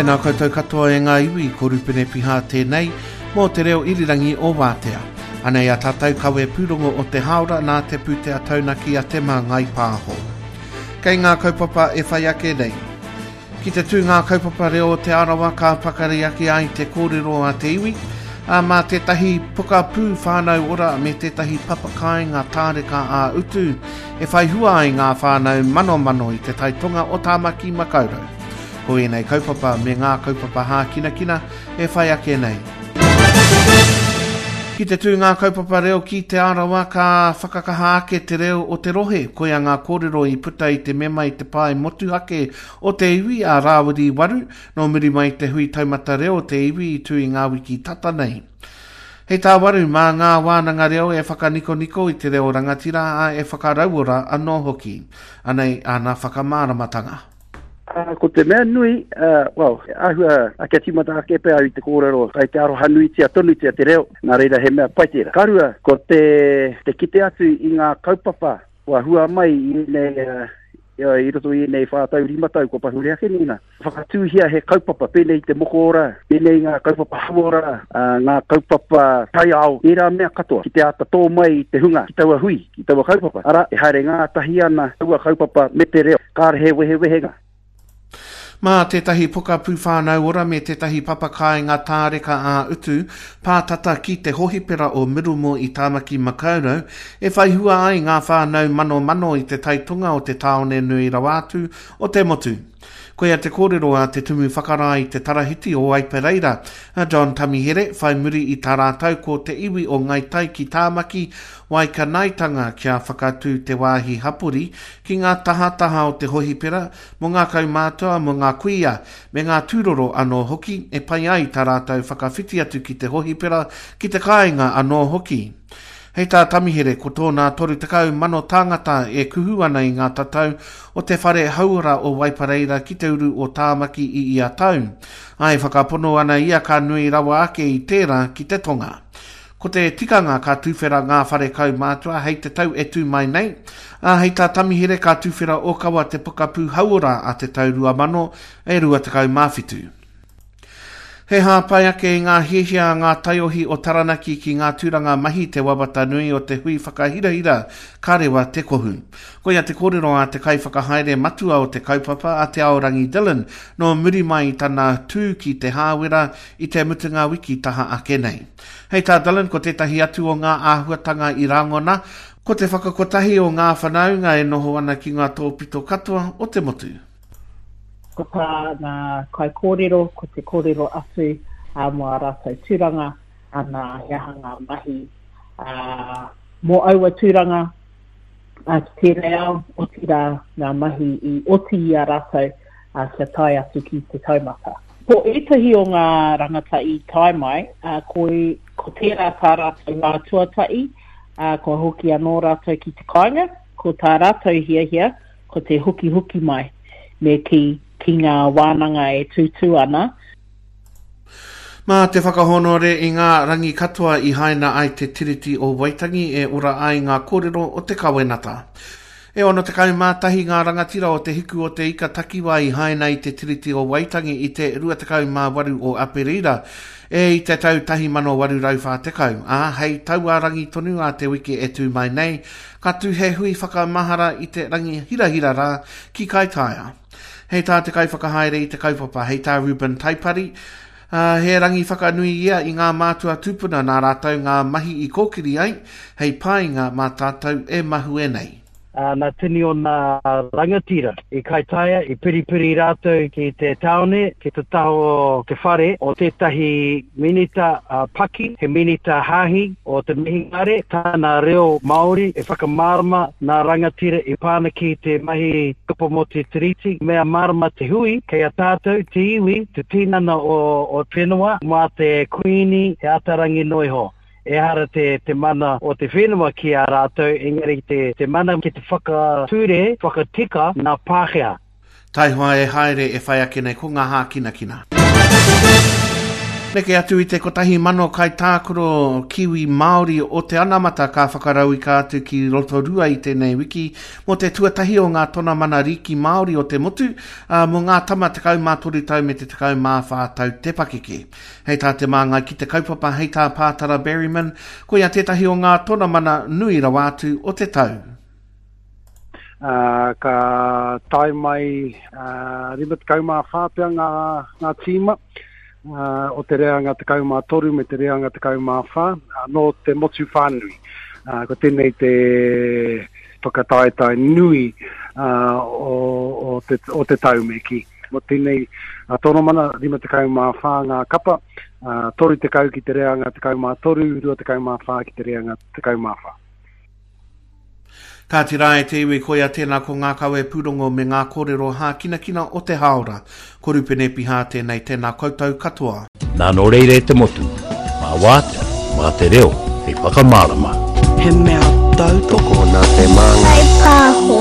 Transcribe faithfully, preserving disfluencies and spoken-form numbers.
Tēnā koutou katoa e ngā iwi, ko Rupene Piha tēnei, mō te reo irirangi o Wātea. Anei a tātou kawe pūrongo o te hāora nā te pūtea taunaki a Te Māngai Pāho. Kei ngā kaupapa e whai ake nei. Ki te tū ngā kaupapa reo o Te Arawa ka pakari ake ai te kōrero a te iwi, a mā tētahi pokapū whānau ora me tētahi papakāinga tāreka ā-utu e whai hua ai ngā whānau manomano i te taitonga o Tāmaki Makaurau. Ko ēnei kaupapa me ngā kaupapa hākinakina e whai ake nei. Ki te tū ngā kaupapa reo ki Te Arawa ka whakakaha ake te reo o te rohe. Koia ngā kōrero i puta i te mema i te pae motuhake o te iwi a Rāwiri Waru, nō muri mai te hui taumata reo o te iwi i tū i ngā wiki tata nei. Hei tā Waru, mā ngā wānanga reo e whakanikoniko i te reo rangatira a e whakarauora anō hoki. Anei āna whakamāramatanga. Uh, ko te mea nui, uh, well, āhua a kia tīmata ake pea au i te kōrero, kai te aroha nuitia tonutia te reo, nā reira he mea pai tērā. Ka rua, ko te, te kite atu i ngā kaupapa kua hua mai i ēnei, uh, i roto i ēnei whā tau, rima tau, kua pahure ake nei nā. Whakatūhia he kaupapa, pēnei te moko ora, pēnei ngā kaupapa hauora, uh, ngā kaupapa taiao, ērā mea katoa, ki te āta tō mai i te hunga, ki taua hui, ki taua kaupapa. Ara, e haere ngātahi ana taua kaupapa me te reo, kāre he wehewehenga. Mā tētahi pokapū whānau ora me tētahi papakāinga tāreka ā-utu, pātata ki te hohipera o Mirumo i Tāmaki Makaurau, e whai hua ai ngā whānau manomano i te taitonga o te tāone nui rawa atu o te motu. Koia te kōrero a te Tumu Whakarae i te Tarahiti o Waipareira, a John Tamihere, whai muri i tā rātou ko te iwi o Ngai Tai ki Tāmaki, Waikanaetanga kia whakatū te wāhi hapori ki ngā tahataha o te hohipera mō ngā kaumātua, mō ngā kuia, me ngā tūroro anō hoki e pai ai tā rātou whakawhiti atu ki te hohipera, ki te kāinga anō hoki. Hei tā Tamihere, ko tōna toru tekau mano tāngata e kuhu ana i ngā tatau o te whare hauora o Waipareira ki te uru o Tāmaki i ia tau. Ai whakapono ana ia ka nui rawa ake i tērā ki te tonga. Ko te tikanga ka tūwhera ngā whare kaumātua hei te tau e tū mai nei, a hei tā Tamihere ka tūwhera ōkawa te pokapū hauora a te tau rua mano e rua tekau mā whitu. He hāpai ake i ngā hiahia a ngā taiohi o Taranaki ki ngā tūranga mahi te wawata nui o te hui whakahirahira ka rewa te kohu. Koia te kōrero a te kaiwhakahaere matua o te kaupapa a Te Aorangi Dillon nō muri mai i tana tū ki te Hāwera i te mutunga wiki taha ake nei. Hei tā Dillon ko tētahi atu o ngā āhuatanga i rangona, ko te whakakotahi o ngā whanaunga e noho ana ki ngā tōpito katoa o te motu. Ko tā ngā kaikōrero, ko te kōrero atu uh, mō a rātou tūranga, ana he aha ngā mahi uh, mō aua tūranga uh, ki tēnei ao, otirā ngā mahi i oti i a rātou uh, kia tae atu ki te taumata. Ko ētahi o ngā rangata i tae mai, uh, ko, ko tērā tā rātou wā tuatahi, uh, kua hoki anō rātou ki te kāinga, ko tā rātou hiahia, ko te hoki hoki mai, me ki, ki ngā wānanga e tūtū ana. Mā te whakahonore i ngā rangi katoa i haina ai te Tiriti o Waitangi e ora ai ngā kōrero o te kawenata. E ono tekau mā tahi ngā rangatira o te hiku o te ika takiwa i haina i te Tiriti o Waitangi i te rua tekau mā waru o Aperira e i te tau tahi mano waru rau whā tekau. Ā, hei taua rangi tonu a te wiki e tū mai nei, ka tū he hui whakamahara i te rangi hirahira rā ki Kaitaia. Hei tā te kaiwhakahaere i te kaupapa, hei tā Ruben Taipari, uh, he rangi whakanui ia i ngā mātua tūpuna nā rātou ngā mahi i kōkiri ai, hei painga mā tātou e mahue nei. Uh, nā tini o nā rangatira i Kaitaia, i piripiri rātou ki te tāone, ki te taho o te whare o tētahi minita uh, paki, he minita hāhi o te mihingare, tāna reo Māori e whakamārama nā rangatira i pāna ki te mahi kupa mō te tiriti. Mea mārama te hui, kei a tātou, te iwi, te tinana o, o whenua, mā te kuini, he atarangi noiho. Ehara te, te mana o te whenua ki a rātou, engari te, te mana ki te whakature, whakatika nā Pākehā. Taihoa e haere e whai ake nei ko ngā hākinakina. Neke atu i te kotahi mano kaitākaro Kiwi Māori o te anamata ka whakarauika atu ki Rotorua i tēnei wiki mō te tuatahi o ngā tonamana rīki Māori o te motu, ā, mō ngā tama tekau mā toru tau me te tekau mā whā tau te pakeke. Hei tā te māngai ki te kaupapa, hei tā Pātara Berryman, koia tētahi o ngā tonamana nui rawa atu o te tau. Ā, ka tae mai, ā, rima tekau mā whā pea ngā, ngā tīma, ā, o te reanga tekau mā toru me te reanga tekau mā whā, ā, nō te motu whānui. Ā, ko tēnei te whakataetae nui, ā, o, o te, o te tau me kī. Mō tēnei tonomana, rima tekau mā whā ngā kapa, ā, toru tekau ki te reanga tekau mā toru, rua tekau mā whā ki te reanga tekau mā whā. Kāti rā e te iwi, koia tēnā ko ngā kawe pūrongo me ngā kōrero hākinakina o te hāora. Ko Rupene Pihā tēnei, tēnā koutou katoa. Nā nō reira e te motu, mā wātea, mā te reo, hei whakamārama. He mea tautoko Tokona te māngai. Pāho.